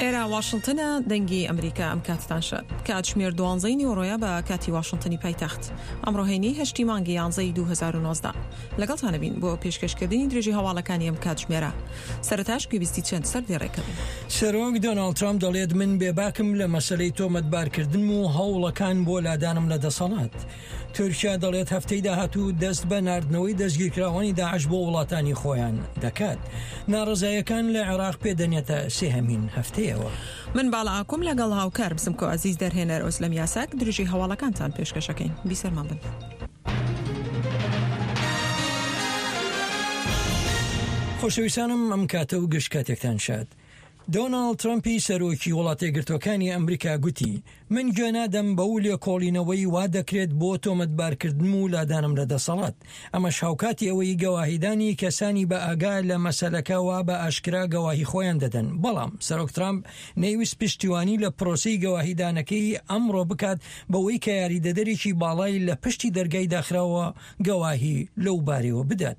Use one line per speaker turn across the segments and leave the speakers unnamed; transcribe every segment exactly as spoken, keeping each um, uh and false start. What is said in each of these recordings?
ئێرە واشنتنە، دەنگی ئەمریکا. ئەم کاتتان شاد. کاتژمێر دوانزەی نیوەڕۆیە بە کاتی واشنتنی پایتەخت. ئەمڕۆ هەینی هەشتی مانگی یانزەی دوو هەزار و نۆزدە. لەگەڵتانە بین بۆ پێشکەشکردنی درێژی هەواڵەکانی ئەم کاتژمێرە. سەرەتاش گوێبیستی چەند سەردێڕێکە بین.
سەرۆک دۆناڵد ترامپ دەڵێت من بێباکم لە مەسەلەی تۆمەتبارکردنم و هەوڵەکان بۆ لادانم لە دەسەڵات. تورکیا دەڵێت هەفتەی داهاتوو دەست بە ناردنەوەی دەستگیرکراوانی داعش بۆ وڵاتانی خۆیان دەکات. ناڕەزایەکان لە عێراق پێدەنێتە سێهەمین هەفتەیەوە.
من باڵا ئاکوم لەگەڵ هاوکار بسمکۆ عەزیز دەرهێنەر ئۆسلەم یاساک درێژی هەواڵەکانتان پێشکەشەکەین. بیسەرمان بن.
خۆشەویستانم، ئەم کاتە و گشت کاتێکتان شاد. دۆناڵد ترەمپی سەرۆکی وڵاتەیەکگرتووەکانی ئەمریکا گوتی من گوێ نادەم بەو لێکۆڵینەوەی وا دەکرێت بۆ تۆمەتبارکردنم و لادانم لە دەسەڵات. ئەمەش هاوکاتی ئەوەی گەواهیدانی کەسانی بە ئاگا لە مەسەلەکە وا بە ئاشکرا گەواهی خۆیان دەدەن. بەڵام سەرۆک ترامپ نەیویست پشتیوانی لە پرۆسەی گەواهیدانەکەی ئەمڕۆ بکات بەوەی کە یاریدەدەرێکی باڵای لە پشتی دەرگای داخراوە گەواهی لەو بارەوە بدات.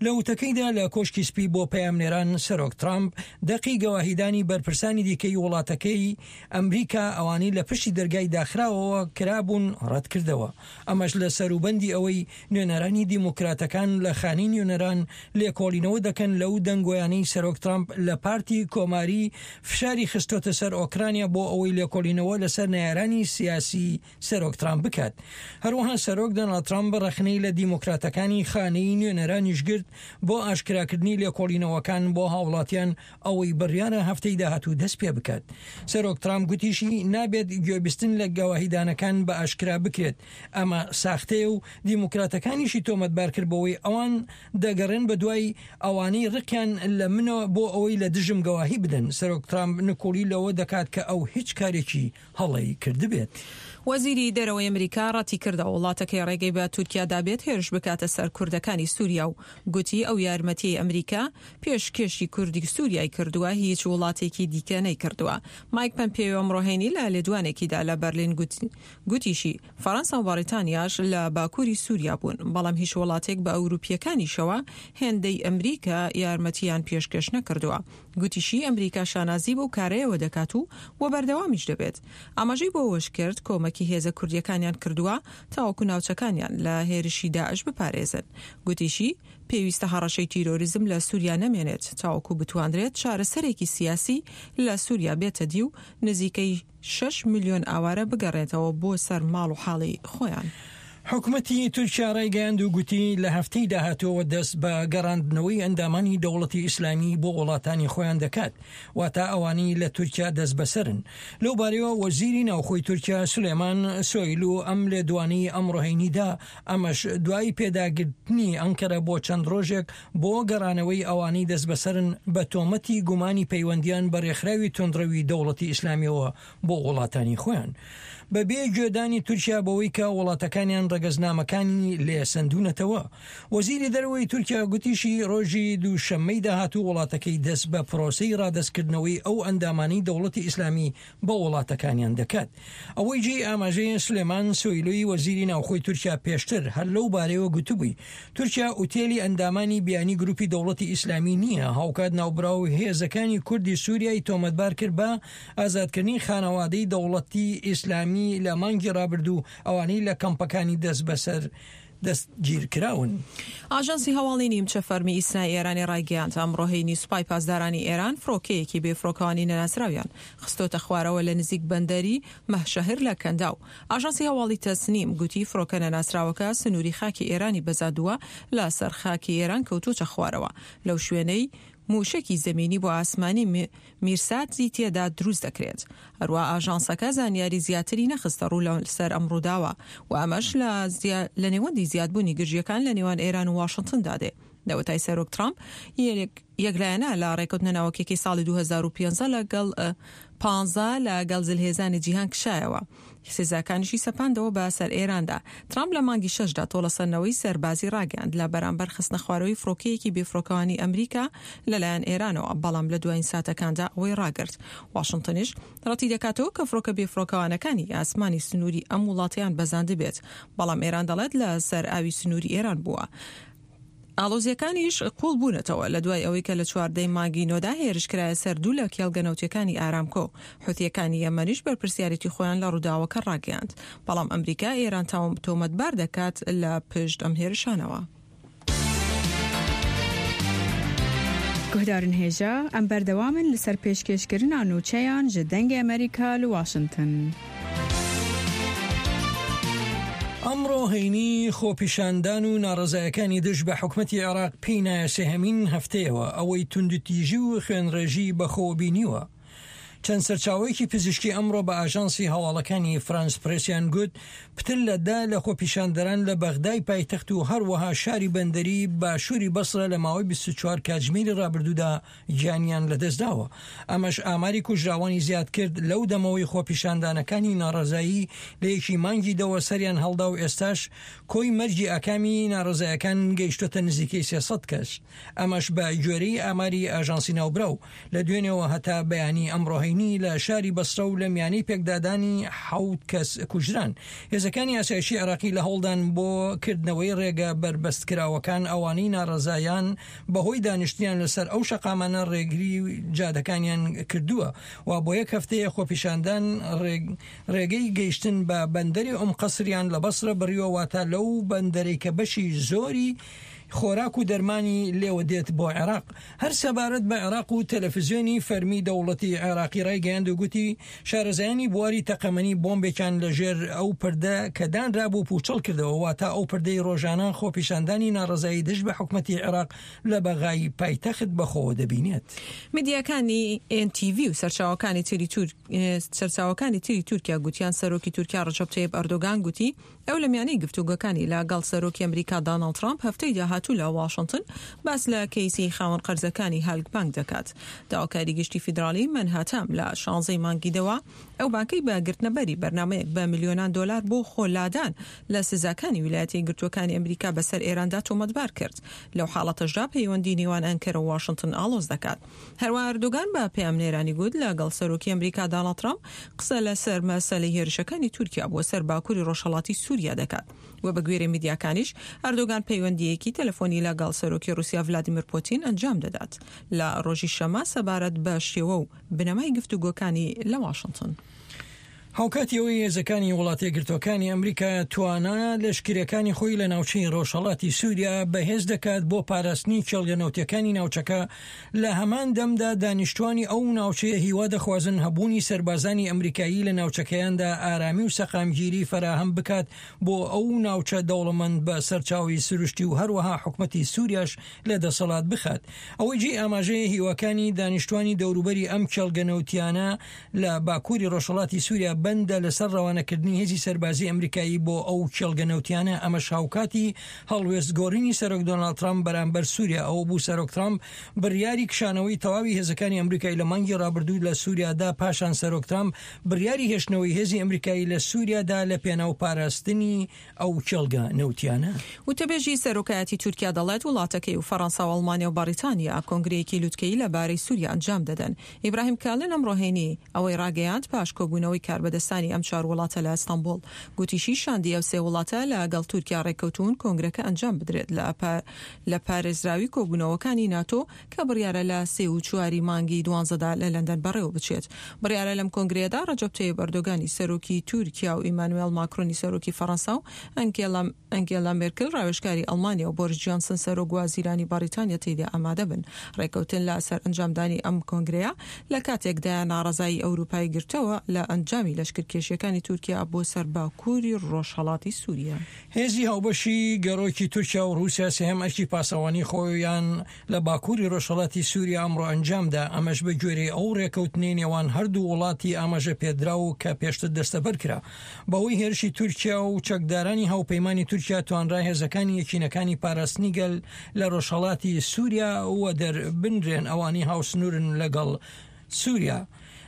لە وتەکەیدا لە کۆشکی سپی بۆ پەیامنێران سەرۆک ترامپ دەقی گەواهیدانی بەرپرسانی دیکەی وڵاتەکەی ئەمریکا ئەوانەی لە پشتی دەرگای داخراوەوە کرابوون ڕەتکردەوە. ئەمەش لە سەروبەندی ئەوەی نوێنەرانی دیموکراتەکان لە خانەی نوێنەران لێکۆڵینەوە دەکەن لەو دەنگۆیانەی سەرۆک ترامپ لە پارتی کۆماری فشاری خستۆتە سەر ئۆکرانیا بۆ ئەوەی لێکۆڵینەوە لەسەر نەیارانی سیاسی سەرۆک ترامپ بکات. هەروەها سەرۆک دۆناڵد ترامپ ڕەخنەی لە دیموکراتەکانی خانەی نوێنەرانیش گرت بۆ ئاشکراکردنی لێکۆڵینەوەکان بۆ هاوڵاتیان ئەوەی بڕیارە هەفتەی داهاتوو دەست پێ بکات. سەرۆک ترامپ گوتیشی نابێت گوێبیستن لە گەواهیدانەکان بە ئاشکرا بکرێت، ئەمە ساختەیە و دیموکراتەکانیشی تۆمەتبار کرد بەوەی ئەوان دەگەڕێن بە دوای ئەوانەی ڕقیان لە منەوە بۆ ئەوەی لە دژم گەواهی بدەن. سەرۆک ترامپ نکۆڵی لەوە دەکات کە ئەو هیچ کارێکی هەڵەی کردبێت.
وەزیری دەرەوەی ئەمریکا ڕەتی کردەوە وڵاتەکەی ڕێگەی بە تورکیا دابێت هێرش بکاتە سەر کوردەکانی سووریا و گوتی ئەو یارمەتیەی ئەمریکا پێشکێشی کوردی سووریای کردووە هیچ وڵاتێکی دیکە نەیکردووە. مایک پەمپێیۆ ئەمڕۆ هەینی لە لێدوانێکیدا لە بەرلین گوتیشی فەڕەنسا و بەریتانیاش لە باکووری سووریا بوون، بەڵام هیچ وڵاتێک بە ئەوروپیەکانیشەوە هێندەی ئەمریکا یارمەتیان پێشکەش نەکردووە. گوتیشی ئەمریکا شانازی بەو کارەیەوە دەکات و وە بەردەوامیش دەبێت. ئاماژەی بۆ ئەوەش کرد کۆمەکی هێزە کوردیەکانیان کردووە تاوەکو ناوچەکانیان لە هێرشی داعش بپارێزن. گوتیشی پێویستە هەڕەشەی تیرۆریزم لە سووریا نەمێنێت تاوەکو بتواندرێت چارەسەرێکی سیاسی لە سووریا بێتە دی و نزیکەی شەش ملیۆن ئاوارە بگەڕێتەوە بۆ سەر ماڵ و حاڵی خۆیان.
حکومەتی تورکیا ڕایگەیاند و گوتی لە هەفتەی داهاتووەوە دەست بە گەڕاندنەوەی ئەندامانی دەوڵەتی ئیسلامی بۆ وڵاتانی خۆیان دەکات، واتە ئەوانەی لە تورکیا دەست بەسەرن. لەو بارەیەوە وەزیری ناوخۆی تورکیا سولەیمان سۆیلو ئەم لێدوانەی ئەمڕۆ هەینیدا، ئەمەش دوای پێداگرتنی ئەنکەرە بۆ چەند ڕۆژێک بۆ گەڕانەوەی ئەوانەی دەست بەسەرن بە تۆمەتی گومانی پەیوەندیان بە ڕێکخراوی توندڕەوی دەوڵەتی ئیسلامیەوە بۆ وڵاتانی خۆیان. بەبێ گوێدانی تورکیا بەوەی کە وڵاتەکانیان ڕەگەزنامەکانی لێسەندونەتەوە. وەزیری دەرەوەی تورکیا گوتیشی ڕۆژی دووشەممەی داهاتوو وڵاتەکەی دەست بە پرۆسەی ڕادەستکردنەوەی ئەو ئەندامانەی دەوڵەتی ئیسلامی بە وڵاتەکانیان دەکات. ئەوەی جێی ئاماژەیە سلێمان سۆیلوی وەزیری ناوخۆی تورکیا پێشتر هەر لەو بارەیەوە گوتبووی تورکیا ئوتێلی ئەندامانی بیانی گروپی دەوڵەتی ئیسلامی نییە. هاوکات ناوبراو هێزەکانی کوردی سووریای تۆمەتبار کرد بە ئازادکردنی خانەوادەی دەوڵەتی ئیسلامی لە مانگی ڕابردوو ئەوانەی لە کەمپەکانی دەست بەسەر دەستگیرکراون.
ئاژانسی هەواڵی نیمچە فەرمی ئیسنای ئێرانی ڕایگەیاند ئەمڕۆ هەینی سوپای پاسدارانی ئێران فڕۆکەیەکی بێفڕۆکەوانی نەناسراویان خستۆتە خوارەوە لە نزیک بەندەری مەهشەهر لە کەنداو. ئاژانسی هەواڵی تەسنیم گوتی فڕۆکە نەناسراوەکە سنووری خاکی ئێرانی بەزاندووە لە سەر خاکی ئێران کەوتوچە خوارەوە لەو شوێنەی موشەکی زەمینی بۆ ئاسمانی میرساتی تێدا دروست دەکرێت. هەروە ئاژانسەکە زانیاری زیاتری نەخستە ڕوو لەسەر ئەم ڕووداوە و ئەمەش لە نێوەندی زیادبوونی گرژیەکان لە نێوان ئێران و واشنتندا دێ. لەوەتای سەرۆک ترامپ یەکلایەنە لە ڕێکەوتنە ناوەکێکی ساڵی دوو هەزار و پێنج لەگەڵ پانزە لەگەڵ زلهێزانی جیهان کشایەوە. سزاکانیشی سەپاندەوە بە سەر ئێراندا. ترامپ لە مانگی شەشدا تۆڵەسەندنەوەی سەربازی ڕاگەیاند لە بەرامبەر خستنە خوارەوەی فڕۆکەیەکی بێفڕۆکەوانی ئەمریکا لەلایەن ئێرانەوە، بەڵام لە دوایین ساتەکاندا ئەوەی ڕاگرت. واشنتنیش ڕەتی دەکاتەوە کە فڕۆکە بێفڕۆکەوانەکانی ئاسمانی سنووری ئەم وڵاتیان بەزاندبێت، بەڵام ئێران دەڵێت لە سەر ئاوی سنووری ئێران بووە. ئاڵۆزییەکانیش قووڵ بوونەتەوە لە دوای ئەوەی کە لە چواردەی مانگی نۆدا هێرش کرایە سەر دوو لە کێڵگە نەوتیەکانی ئارامکۆ. حوثیەکانی یەمەنیش بەرپرسیارێتی خۆیان لە ڕووداوەکە ڕاگەیاند، بەڵام ئەمریکا ئێران تۆمەتبار دەکات لە پشت ئەم هێرشانەوە.
گوهدارن هێژا ئەم بەردەوامن لەسەر پێشکێشکردنا نوچەیان ji دەنگê ئەمریکا لە واشنگتن.
ئەمڕۆ هەینی خۆپیشاندان و ناڕەزایەکانی دژ بە حکومەتی عێراق پێی نایە سێهەمین هەفتەیەوە ئەوەی توندوتیژی و خوێنڕێژی بەخۆوە بینیوە. چەند سەرچاوەیەکی پزیشکی ئەمڕۆ بە ئاژانسی هەواڵەکانی فرانس پرێسیان گوت پتر لە دە لە خۆپیشاندەران لە بەغدای پایتەخت و هەروەها شاری بەندەری باشووری بەسرە لە ماوەی بیست و چوار کاتژمێری ڕابردوودا گیانیان لەدەستداوە. ئەمەش ئاماری کوژراوانی زیاد کرد لەو دەمەوەی خۆپیشاندانەکانی ناڕەزایی لە یەکی مانگی دەوە سەریان هەڵدا و ئێستاش کۆی مەرگی ئاکامی ناڕەزایەکان گەیشتۆتە نزیکەی سێ سەد کەس. ئەمەش بە گوێرەی ئاماری ئاژانسی ناوبراو لە دوێنێوە هەتا بەیانی ئەمڕۆ هەینی لە شاری بەسرە و لە میانەی پێکدادانی حەوت کەس کوژران. هێزەکانی ئاسایشی عێراقی لە هەوڵدان بۆ کردنەوەی ڕێگە بەربەستکراوەکان ئەوانەی ناڕەزایان بەهۆی دانیشتیان لەسەر ئەو شەقامانە ڕێگری جادەکانیان کردووە و بۆ یەک هەفتەیە خۆپیشاندان ڕێگەی گەیشتن بە بەندەری ئوم قەسریان لە بەسرە بڕیوە، واتە لەو بەندەرەی کە بەشی زۆری خۆراک و دەرمانی لێوە دێت بۆ عێراق. هەر سەبارەت بە عێراق و تەلەفزیۆنی فەرمی دەوڵەتی عێراقی ڕایگەیاند و گوتی شارەزایانی بواری تەقەمەنی بۆمبێکیان لەژێر ئەو پردە کە دانرابوو پوچەڵ کردەوە، واتە ئەو پردەی ڕۆژانە خۆپیشاندانی ناڕەزایی دژ بە حکومەتی عێراق لە بەغای پایتەخت بەخۆوە دەبینێت.
میدیاکانی ئێن تی ڤی و سەرچاوەکانی تری سەرچاوەکانی تری تورکیا گوتیان سەرۆکی تورکیا ڕەجەب تەیب ئەردۆگان گوتی ئەو لە میانەی گفتوگۆکانی لەگەڵ سەرۆکی ئەمریکا داناڵد ترامپ هەفتەی داهاتوو لە واشنگتن باس لە کەیسی خاوەن قەرزەکانی هالک بانک دەکات. داواکاری گشتی فیدراڵی مەنهاتام لە شانزەی مانگی دەوە ئەو بانکەی بە گرتنەبەری بەرنامەیەک بە ملیۆنان دۆلار بۆ خۆلادان لە سزاکانی ویلایەتە یەکگرتووەکانی ئەمریکا بەسەر ئێراندا تۆمەتبار کرد. لەو حاڵەتەشدا پەیوەندی نێوان ئەنکەرە و واشنگتن ئاڵۆز دەکات. هەروەها ئەردۆگان بە پەیامنێرانی گوت لەگەڵ سەرۆکی ئەمریکا داناڵد ترامپ قسە لەسەر مەسەلەی هێرشەکانی تورکیا بۆ سەر باکووری ڕۆژهەڵاتی سووریا دەکات. و بە گوێرەی میدیاکانیش ئەردۆگان پەیوەندیەکی تەلەفۆنی لەگەڵ سەرۆکی ڕوسیا ڤلادیمیر پوتین ئەنجام دەدات لە ڕۆژی شەمە سەبارەت بە شێوە و بنەمای گفتوگۆکانی لە واشنگتن.
هاوکاتی ئەوەی هێزەکانی وڵاتە یەکگرتووەکانی ئەمریکا توانا لەشکریەکانی خۆی لە ناوچەی ڕۆژهەڵاتی سووریا بەهێز دەکات بۆ پاراستنی کێڵگە نەوتیەکانی ناوچەکە، لە هەمان دەمدا دانیشتوانی ئەو ناوچەیە هیوا دەخوازن هەبوونی سەربازانی ئەمریکایی لە ناوچەکەیاندا ئارامی و سەقامگیری فەراهەم بکات بۆ ئەو ناوچە دەوڵەمەند بە سەرچاوی سروشتی و هەروەها حکومەتی سووریاش لە دەسەڵات بخات. ئەوەی جێی ئاماژەیە هیواکانی دانیشتوانی دەوروبەری ئەم کێڵگە نەوتیانە لە باکووری ڕۆژهەڵاتی سووریا بەندە لەسەر ڕەوانەکردنی هێزی سەربازی ئەمریکایی بۆ ئەو کێڵگە نەوتیانە. ئەمەش هاوکاتی هەڵوێست گۆڕینی سەرۆک دۆناڵد ترامپ بەرامبەر سووریا ئەوە بوو سەرۆک ترامپ بڕیاری کشانەوەی تەواوی هێزەکانی ئەمریکای لە مانگی ڕابردوو لە سووریادا، پاشان سەرۆک ترامپ بڕیاری هێشتنەوەی هێزی ئەمریکایی لە سووریادا لە پێناو پاراستنی ئەو کێڵگە نەوتیانە.
وتەبێژی سەرۆکایەتی تورکیا دەڵێت وڵاتەکەی و فەڕەنسا و ئەڵمانیا و بەریتانیا کۆنگرەیەکی لوتکەیی لەبارەی سووریا ئەنجام دەدەن. ئیبراهیم کالن ئەمڕۆ هەینی ئەوەی ڕاگەیاند پاش کۆبوونەوەی کاربەدەستانی ئەم چوار وڵاتە لە ئەستەنبوڵ. گوتیشی شاندی ئەو سێ وڵاتە لەگەڵ تورکیا ڕێککەوتون کۆنگرەکە ئەنجام بدرێت لە پارێزراوی کۆبوونەوەکانی ناتۆ کە بڕیارە لە سێ و چواری مانگی دوانزەدا لە لەندەن بەڕێوە بچێت. بڕیارە لەم کۆنگرەیەدا ڕەجەب تەیب ئەردۆگانی سەرۆکی تورکیا و ئیمانوێل ماکرۆنی سەرۆکی فەڕەنسا و ئەنگێلا مێرکل ڕاوێژکاری ئەڵمانیا و بۆریس جۆنسن سەرۆک وەزیرانی بەریتانیا تێیدا ئامادە بن. ڕێککەوتن لەسەر ئەنجامدانی ئەم کۆنگرەیە لە کاتێکدا ناڕەزایی ئەوروپای گرتەوە لە ئەنجامی لەشکرکێشیەکانی تورکیا بۆ سەر باکووری ڕۆژهەڵاتی سووریا.
هێزی هاوبەشی گەڕۆکی تورکیا و ڕووسیا سێهەم ئەرکی پاسەوانی خۆیان لە باکووری ڕۆژهەڵاتی سووریا ئەمڕۆ ئەنجامدا، ئەمەش بە گوێرەی ئەو ڕێککەوتنەی نێوان هەردوو وڵاتی ئاماژە پێدراو کە پێشتر دەستەبەر کرا. بەهۆی هێرشی تورکیا و چەکدارانی هاوپەیمانی تورکیا توانرا هێزەکانی یەکینەکانی پاراستنی گەل لە ڕۆژهەڵاتی سووریا وەدەربنرێن ئەوانەی هاوسنوورن لەگەڵ سووریا.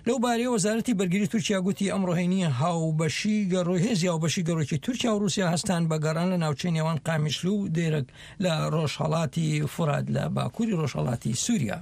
لەو بارەیە وەزارەتی بەرگری تورکیا گوتی ئەمڕۆ هەینی هاوبەشی گەڕۆ هێزی هاوبەشی گەڕۆکی تورکیا و ڕووسیا هەستان بە گەڕان لە ناوچەی نێوان قامیشلو و دێرەک لە ڕۆژهەڵاتی فورات لە باکووری ڕۆژهەڵاتی سووریا.